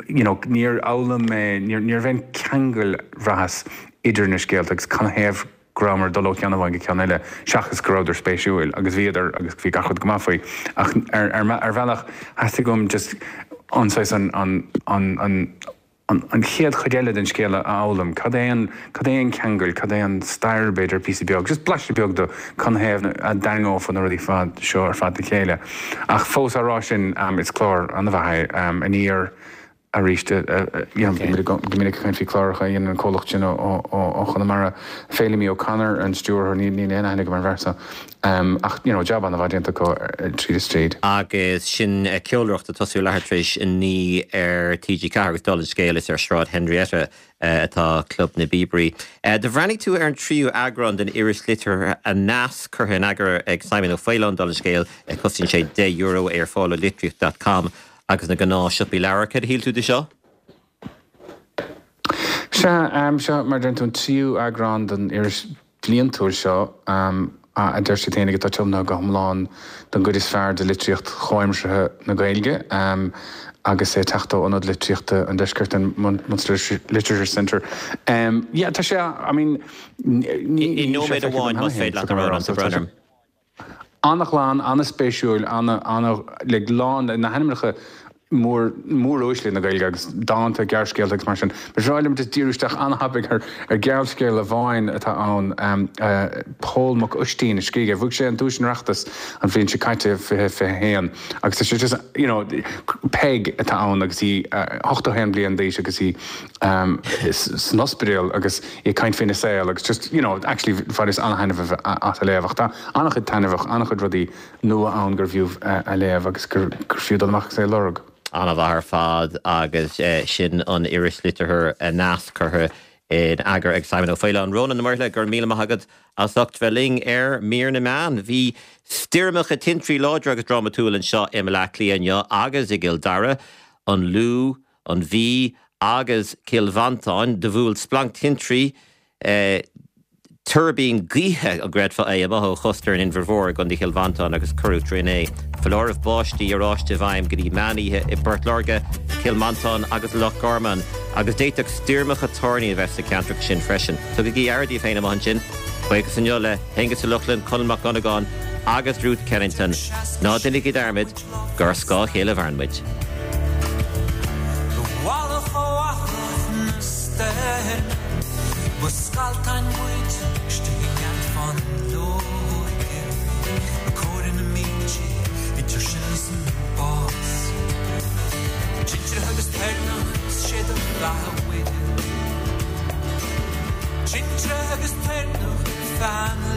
you know níor fhoghlaim mé níor ní raibh aon cheangal bhraitheas idir na scéalta agus canathaobh go rabhamar ag dul ó cheann amháin go ceann eile seachas go rabhadar spéisiúil agus bhíodar agus bhí gach rud go maith faoi ach ar ar ar bhealach theastaigh uaim just an saghas an an an an an an chéad chuid eile den scéal a fhoghlaim, cad é an cad é an ceangal, cad é an stair b'fhéidir píosa beag, just blaiseadh beag de canathaobh a dtarraingeofa na rudaí fad seo ar fad le chéile. Ach fós á rá sin is clár an-mhaith é Aniar arís go minic ag caint faoi chláracha a dhéanann an comhlacht sin ó Chonamara. Feidhlimí O'Connor an stiúrthóir, níl aon aithne agam ar an bhfear seo ach you know jab an-mhaith déanta acu tríd is tríd. Agus sin ceolaireacht ag tosú leathuair tar éis a naoi ar T G ceathair agus dála an scéil is ar Sráid Henrietta atá Club na bPíobairí. Do bhreathnaigh tú ar an tríú eagrán den iris liteartha Aneas curtha in eagar ag Simon Ó Faoláin, dála an scéil, cosnaíonn sé deich euro, é ar fáil ó litríocht dot com agus na gnáth-shiopaí leabhar. Céard a shíl tú de seo? Sea, seo mar a deireann tú an tríú eagrán den iris bhliantúil seo a deir siad féinig atá tiomnaithe go hiomlán don gcuid is fearr de litríocht chomhaimseartha na Gaeilge agus é ag teacht ó Ionad Litríochta an Deiscirt, an Munster Literature Centre. Yeah, tá sé, I mean, ní I nóiméad amháin, más féidir leat a rá, tá brón orm. An-ghlan, an-spéisiúil, ana, ana, like, lán le na hainmneacha mór, móruaisle na Gaeilge agus dánta, gearrscéalta agus mar sin. Ba bhreá liom just díriú isteach an-thapaidh ar, ar ghearrscéal amháin atá ann, Pól Mac Uistín a scrígh é. Bhuaigh sé an Duais an Oireachtais an bhliain seo caite, fiche fiche a haon, agus tá sé just, you know, Peig atá ann agus í ochtó a haon bliain d'aois agus í san ospidéal agus í ag caint faoina saol agus just, you know, actually bhaineas an-thaitneamh as a léamh ach tá an-chuid taitneamhach, an-chuid rudaí nua ann gur bhfiú a léamh agus gur fiú dul amach agus é a lorg. An-mhaith ar fad agus sin an iris liteartha Aneas curtha in eagar ag Simon Ó Faoláin. Rónán Ó Muirthile, go raibh míle maith agat as ucht bheith linn ar Mír na Meán. Bhí stoirmeacha tintrí láidre agus drámatúil anseo i mBaile Átha Cliath inniu agus i gCill Dara, an Lú, an Mhí agus Cill Mhantáin. Do bhuail splanc tintrí tuirbín gaoithe, an gcreidfeá é, amuigh ó chósta an Inbhir Mhóir i gContae Chill Mhantáin agus cuireadh trín é. Foláireamh báistí oráiste i bhfeidhm go dtí meán oíche i bPort Láirge, Cill Mhantáin agus Loch Garman agus d'fhéadfadh stoirmeacha toirní a bheith sna ceantracha sin freisin. Tugaigí aire daoibh féin amuigh ansin. Buíochas inniu le hAonghus Ó Lochlainn, Conall Mac Dhonnagáin agus Ruth Kennington. Ná déanaigí dearmad gur ar scáth a chéile a mhaireann muid. Do mhallacht ó fhatach na sterne Ba scalltáin muid istigh i ngealt fáinleoige Ag comhaireamh na mílte idir sinn is an bás Tintreach agus toirneach is sé do bheatha Mhuire Tintreach agus toirneach feadh na